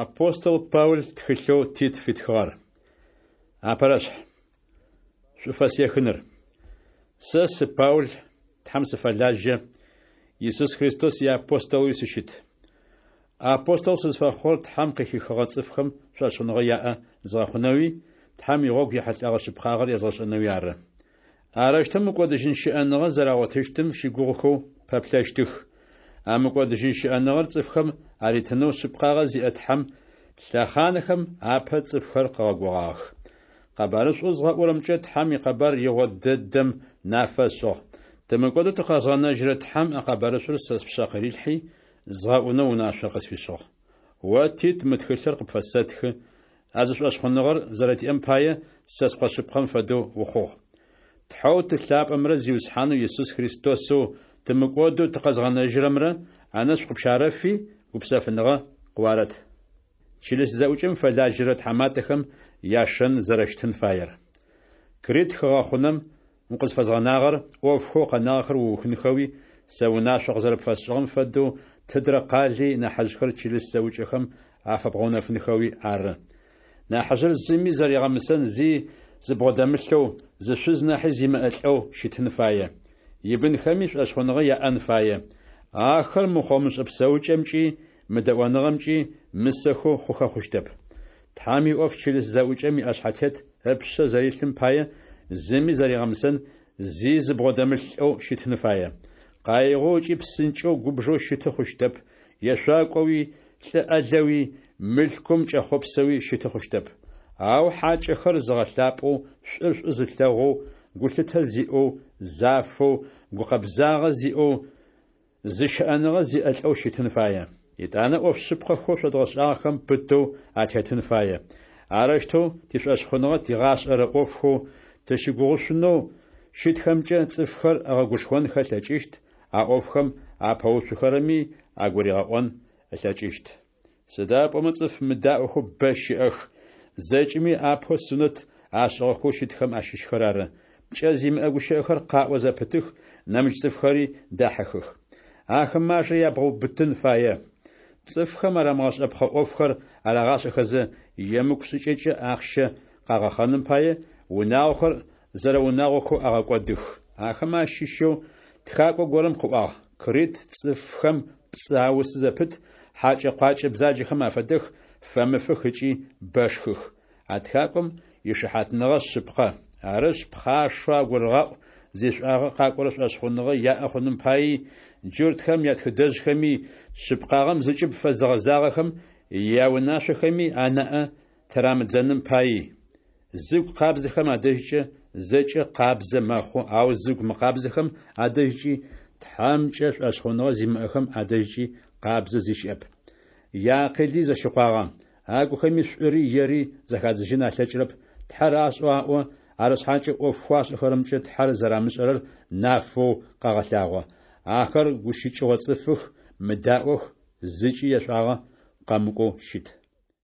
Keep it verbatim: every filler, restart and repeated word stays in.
Апостол Паул тхылъэу Тит фитхыгъэр. Апэрэшъхь. Шӏуфэс ехыныр. Сэ сы Паул, Тхьэм сыфэлажьэ, Исус Христос иапостолэуи сыщыт. Апостол сызфэхъугъэр Тхьэм къыхихыгъэ цӏыфхэм шӏошъхъуныгъэ яӏэ згъэхъунэуи, Тхьэм игъогу ехьылӏэгъэ шъыпкъагъэр язгъэшӏэнэуи ары. Арэущтэу мыкӏодыжьын щыӏэныгъэ зэрагъотыщтым щыгугъыхэу пэплъэщтых. А мыкӏодыжьын щыӏэныгъэр цӏыфхэм аритынэу шъыпкъагъэ зиӏэ Тхьэм лъэхъанхэм апэ цӏыфхэр къыгъэгугъагъэх. Къэбарышӏоу згъэӏурэмкӏэ Тхьэм икъэбар игъо дэдэм нафэ ышӏыгъ. Тымыкӏодэу тыкъэзгъэнэжьырэ Тхьэм а къэбарышӏур сэ спшъэ къырилъхьи, згъэӏунэу унашъо къысфишӏыгъ. О, Тит, мы тхылъыр къыпфэсэтхы, а зы шӏошъхъуныгъэр зэрэтиӏэм пае сэ скъо шъыпкъэм фэдэу ухъугъ. Тхьэу Ты лъапӏэмрэ Зиусхьанэу Исус Христосэу тымыкӏодэу тыкъэзгъэнэжьырэмрэ анэшӏу къыпщарэфи, гупсэфыныгъэ къыуарэт. Чылыс зэӏукӏэм фэлажьэрэ тхьаматэхэм яшэн зэрэщытын фаер. Крит хыгъэхъунэм укъызфэзгъэнагъэр ӏофхэу къэнагъэхэр уухынхэуи, сэ унашъо къызэрэпфэсшӏыгъэм фэдэу тыдрэ къали нахьыжъхэр чылыс зэӏукӏэхэм афэбгъэунэфынхэуи ары. Нахьыжъыр зыми зэригъэмысэн зи зыбгъодэмылъэу, зы шъуз нахьи зимыӏэ лӏэу щытын фае. Ибынхэми шӏошъхъуныгъэ яӏэн фае. Ахэр мыхъо-мышӏэ псэукӏэмкӏи, мыдэӏоныгъэмкӏи мысэхэу хъухэ хъущтэп. Тхьэм иӏоф чылыс зэӏукӏэм иӏэшъхьэтет ыпшъэ зэрилъым пае зыми зэригъэмысэн зи зыбгъодэмылъ лӏэу щытын фае. Къаигъэу ыкӏи псынкӏэу губжэу щыты хъущтэп, ешъуакӏоуи, лӏы ӏэлэуи, мылъкум кӏэхъопсэуи щыты хъущтэп. Ау хьакӏэхэр зыгъэлъапӏэу, шӏур шӏу зылъэгъоу, гулъытэ зиӏэу, зафэу, гукъэбзагъэ зиӏэу, зыщыӏэныгъэ зиӏэ лӏэу щытын фае. Етӏанэ ӏоф шъыпкъэхэу шъодгъэшӏагъэхэм пытэу атетын фае. Арэущтэу тишӏошъхъуныгъэ тигъашӏэрэ ӏофхэу тыщыгугъышъунэу щытхэмкӏэ цӏыфхэр ыгъэгушхонхэ ылъэкӏыщт, а ӏофхэм апэуцухэрэми агуригъэӏон ылъэкӏыщт. Сыда пӏомэ цӏыф мыдаӏохэу бэ щыӏэх, зэкӏэми апэу сунэт ашӏыгъэхэу щытхэм ащыщхэр ары. Пкӏэ зимыӏэ гущыӏэхэр къаӏо зэпытых, нэмыкӏ цӏыфхэри дахьыхых. Ахэмэ ажэ ябгъэубытын фае. Цӏыфхэм арамыгъэшӏэпхъэ ӏофхэр арагъашӏэхэзэ, емыкӏу шӏыкӏэкӏэ ахъщэ къагъэхъэным пае, унагъохэр зэрэунагъохэу агъэкӏодых. Ахэмэ ащыщэу тхакӏо горэм къыӏуагъ: Крит цӏыфхэм пцӏы аусы зэпыт, хьакӏэ-къуакӏэ бзаджэхэм афэдэх, фэмыфых ыкӏи бэшхых. А тхакӏом ишыхьатныгъэ шъыпкъэ. Арышъ, пхъашэу агурыгъаӏу зишӏуагъэ къакӏорэ шӏошъхъуныгъэ яӏэ хъуным паий, джуртхэм ятхыдэжъхэми, шъыпкъагъэм зыкӏыб фэзыгъэзагъэхэм яунашъохэми анаӏэ тырамыдзэным паий. Зыгу къабзэхэм адэжькӏэ зэкӏэ къабзэ мэхъу, ау зыгу мыкъабзэхэм адэжькӏи, Тхьэмкӏэ шӏошъхъуныгъэ зимыӏэхэм адэжькӏи къабзэ зи щыӏэп. Яакъыли зэщыкъуагъэ, агухэми шӏури ери зэхадзыжьын алъэкӏырэп, Тхьэр ашӏэу аӏо, арышъхьакӏэ ӏофхэу ашӏэхэрэмкӏэ Тхьэр зэрамышӏэрэр нафэу къагъэлъагъо. Ахэр гущыкӏыгъо цӏыфых, мыдаӏох, зыкӏи яшӏуагъэ къэмыкӏоу щыт.